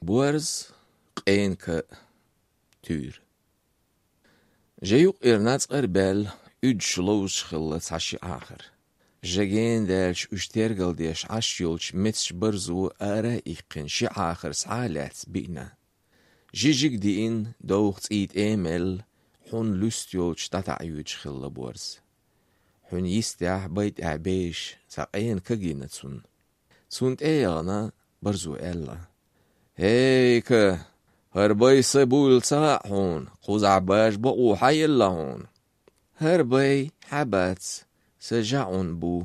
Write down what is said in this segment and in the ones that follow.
بورز قينك تور جيوق إرناز قربال شلوش خلص عشي آخر جاگين دالش اشترگل ديش عشيولش متش برزو آرا إيقن شي آخر سعالات بينا جيجيك دين دوغت إيد إيمل حون لستيولش تتعيوش خلا بورز حون يستيح بيت أعبيش ساقين كجينتسون سونت إيانا برزو إلا هيك هربي سبول ساحون قوز عباش بقو حي اللهون هربي حبات سجعون بو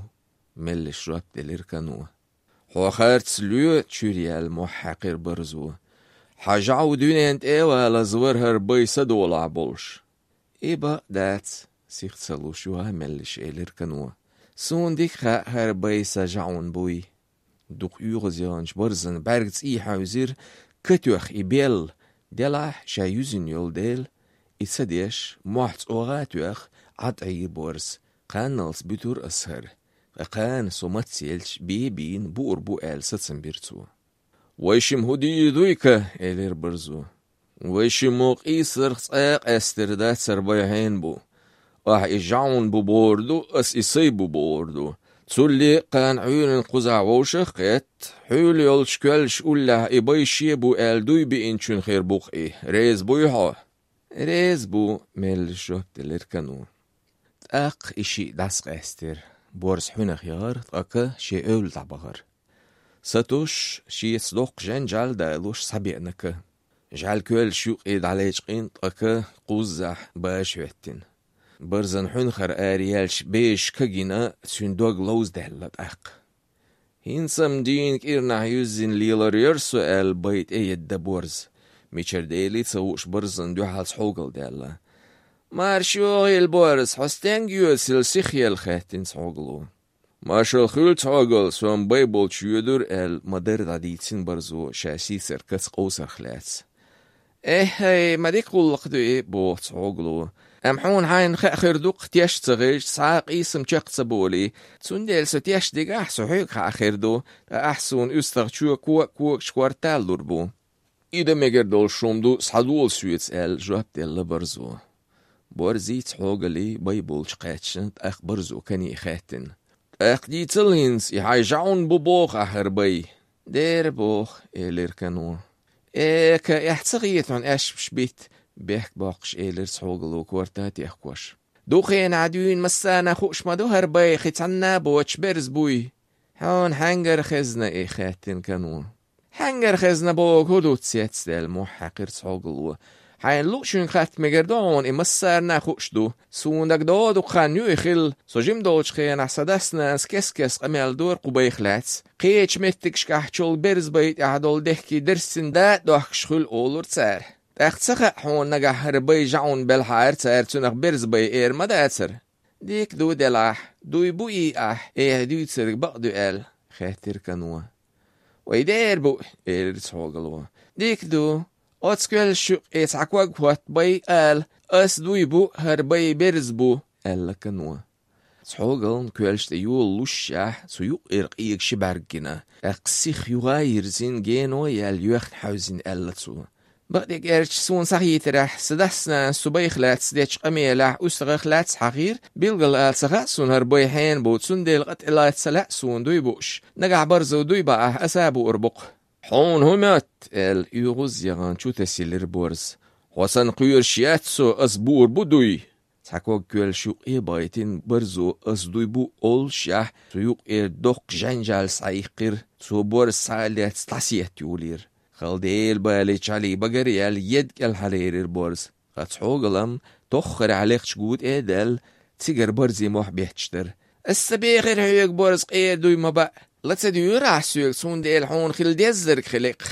مل شرب دليركنوه هو خارت سلوه تشوريال محقر برزوه حاجعو دونينت ايوه لزور هربي سدول عبولش إيبا دات سيخت سلوشوها ملش إليركنوه سون ديك هربي سجعون بوي دوق يغزيانش برزن برگز إي حوزير كتوخ إبيل دلح شايوزن يول ديل إتسديش محت أوغاتوخ عطعي بورس قانلس بتور أسهر قان سوماتسيلش بيبين بور بو آل ستسن بيرتو ويشم هدي دويكا إلير برزو ويشم موق إيسر خساق أستردات سربايحين بو إجعون بو بوردو أس إسيبو بوردو تسولي قان عيون قزع ووشخ قيت حول يولش كلش أولا إبايشي بو آل دوي بإنشون خير بوقي ريز بويحا ريز بو ميل شوب دليركنو تاق إشي داسق أستر بورس حون خيار تاقا شي أول تعبغر ساتوش شي صدوق جنجال دالوش سابيعنك جعل كل شوق إيد عليش قين تاقا قوزح باش ويتن برزن حون خر آريالش بيش كجينا سندوغ لوز دهلت أق هينسم دين كيرنا يوزين ليلر يرسو آل بيت ايد دبورز ميشر ديلي تسووش برزن دو حالس حوغل دالا مارشو البورز حستين يوسل سيخيال خاتين سحوغلو مارشال خيل تحوغل سوان بيبول شيودر آل مدر داديتين برزو شاسي سركس قوسر خلاس هاي ما ديك قولق دو ايه بو تحوغلو حون حين خير دوق تيش تغيش ساق اسم تشق سبولي تسندل ستيش ديك احسو حيك خير دو احسون استغشو كوك شكوارتال دوربو إذا مگر دول شومدو صحدول سويتس آل جواب دل برزو بورزيت حوغلي بيبول شقاتشن اخ برزو كني خاتن اخ دي تلهنس يحاجعون ببوخ اخر بي دير بوخ إلير كانو ايك يحتغيت عن اش بيت بيحك باقش إلير سحوغلو كورتات يحكوش دوخين عدوين مسانا خوش مدو هربي خيتعنا بوش برز بوي هون حنجر خزنا خاتن كانو حنجر خزنا بوك هدو تسيتس دل محقر سحوغلو حين لوشون خات مگردون امسر نخوش دو سوندك دادو خانيو خل سوجيم دوش خين احسدسنا كس قمال دور قبي خلاتس قيش متكش كحچول برز بيت اعدول دهكي درسن دات دوحكش خل اولور تسار اختسخ حون نجح هربي جعون بالحار تسار تنخ برز بي اير مداتر ديك دو دلح دو يبوي ايه دو تسرق بقدو ال خاتر كانوا ويدير بو اير سحوغلو ديك دو أتسكال شق إتعقوق وات بي آل أس دوي بو هربي برز بو آل كنوا سحوغل كوالش تيول لوشاح سيوق إرقيق شبارجنا أقسيخ يغاير زين جينو يال يوخن حوزين آل تسو بقديك إرش سون صحيت راح سدسنا سبيخ لات سديش قميلاح أستغخ لات حقير بيلغل آل سغا سون هربي حين بو تسون ديل قت إلات سلا سون دوي بوش نقع برزو دوي بقى أسابو أربق حون همات ال يغوز يغان شو تسيلر بورز وسن قير شياتسو أسبور بدوي تحكوك كل شو بايتين برزو أسدوي بو أول شاه سيوق دوق جنجال سايقر سو بورز ساليات تلاسيات يولير خالديل باليش علي بقريال يد الحرير بورز خاتحوغلم تخر عليك شقود دل تيجر برزي موح بيحتشتر السبيغر هيك بورز دوي ما بقى لا تدير عسوك سون ديل حون خل ديزرك خلق